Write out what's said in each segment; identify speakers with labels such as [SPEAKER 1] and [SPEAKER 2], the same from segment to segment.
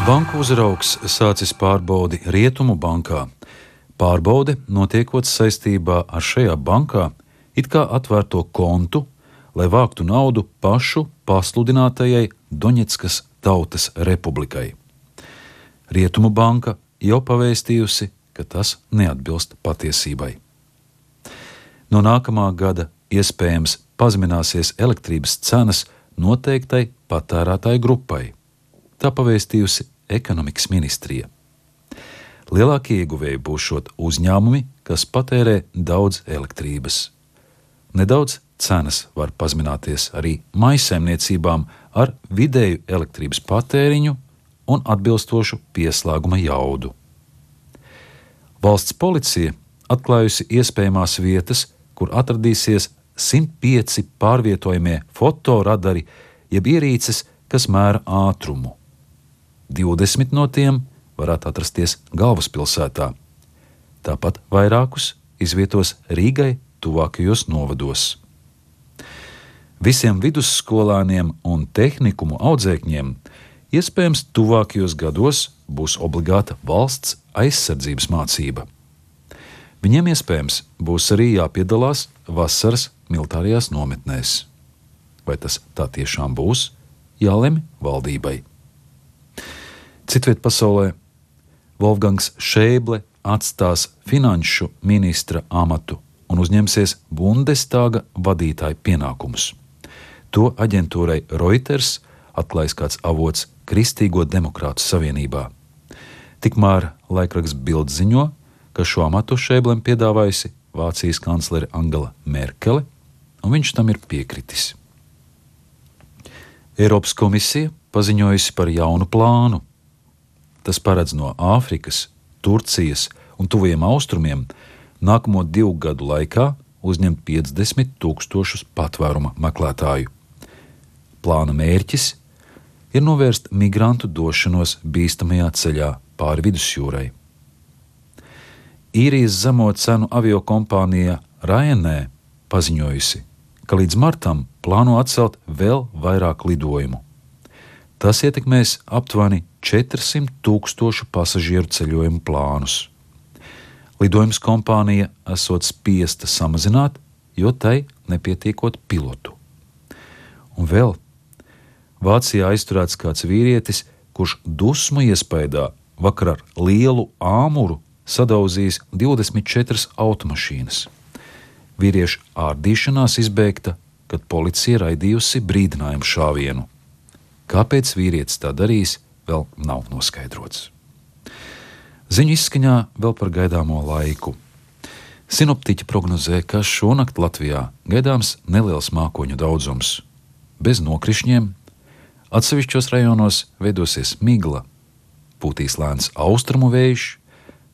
[SPEAKER 1] Banku uzraugs sācis pārbaudi Rietumu bankā. Pārbaude notiekot saistībā ar šajā bankā it kā atvērto kontu, lai vāktu naudu pašu pasludinātajai Doņetskas Tautas Republikai. Rietumu banka jau pavēstījusi, ka tas neatbilst patiesībai. No nākamā gada iespējams pazemināsies elektrības cenas noteiktai patērētāju grupai. Tā pavēstījusi ekonomikas ministrija. Lielākie ieguvēji būšot uzņēmumi, kas patērē daudz elektrības. Nedaudz cenas var pazemināties arī mājsaimniecībām ar vidēju elektrības patēriņu un atbilstošu pieslēguma jaudu. Valsts policija atklājusi iespējamās vietas, kur atradīsies 105 pārvietojamie fotoradari, jeb ierīces, kas mēra ātrumu. 20 no tiem varētu atrasties galvaspilsētā. Tāpat vairākus izvietos Rīgai tuvākajos novados. Visiem vidusskolāniem un tehnikumu audzēkņiem iespējams tuvākajos gados būs obligāta valsts aizsardzības mācība. Viņiem iespējams būs arī jāpiedalās vasaras militārajās nometnēs. Vai tas tā tiešām būs, jālemj valdībai. Citviet pasaulē Wolfgangs Šēble atstās finanšu ministra amatu un uzņemsies Bundestāga vadītāja pienākumus. To aģentūrai Reuters atklājis kāds avots Kristīgo demokrātu savienībā. Tikmēr laikraksts Bild ziņo, ka šo amatu Šēblem piedāvājusi Vācijas kanclere Angela Merkele, un viņš tam ir piekritis. Eiropas komisija paziņojusi par jaunu plānu. Tas paredz no Āfrikas, Turcijas un Tuvajiem Austrumiem nākamo 2 gadu laikā uzņemt 50 000 patvēruma meklētāju. Plāna mērķis ir novērst migrantu došanos bīstamajā ceļā pāri vidusjūrai. Īrijas zemo cenu aviokompānija Ryanair paziņojusi, ka līdz martam plāno atcelt vēl vairāk lidojumu. Tas ietekmēs aptuveni 400 000 pasažieru ceļojumu plānus. Lidojums kompānija esot spiesta samazināt, jo tai nepietiekot pilotu. Un vēl Vācijā aizturēts kāds vīrietis, kurš dusmu iespaidā vakar ar lielu āmuru sadauzījis 24 automašīnas. Vīrieša ārdīšanās izbeigta, kad policija raidījusi brīdinājumu šāvienu. Kāpēc vīrietis tā darījis, vēl nav noskaidrots. Ziņu izskaņā vēl par gaidāmo laiku. Sinoptiķi prognozē, ka šonakt Latvijā gaidāms neliels mākoņu daudzums. Bez nokrišņiem, atsevišķos rajonos veidosies migla, pūtīs lēns austrumu vējš,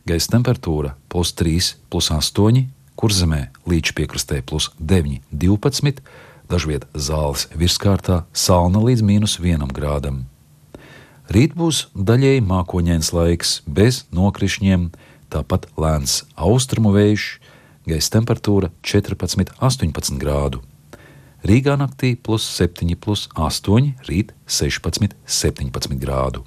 [SPEAKER 1] gaisa temperatūra +3, +8, Kurzemē līča piekrastē +9, 12, dažviet Zāles virskārtā salna līdz -1 grādam. Rīt būs daļēji mākoņains laiks, bez nokrišņiem, tāpat lēns austrumu vējš, gaisa temperatūra 14, 18 grādu. Rīgā naktī +7, +8, rīt 16, 17 grādu.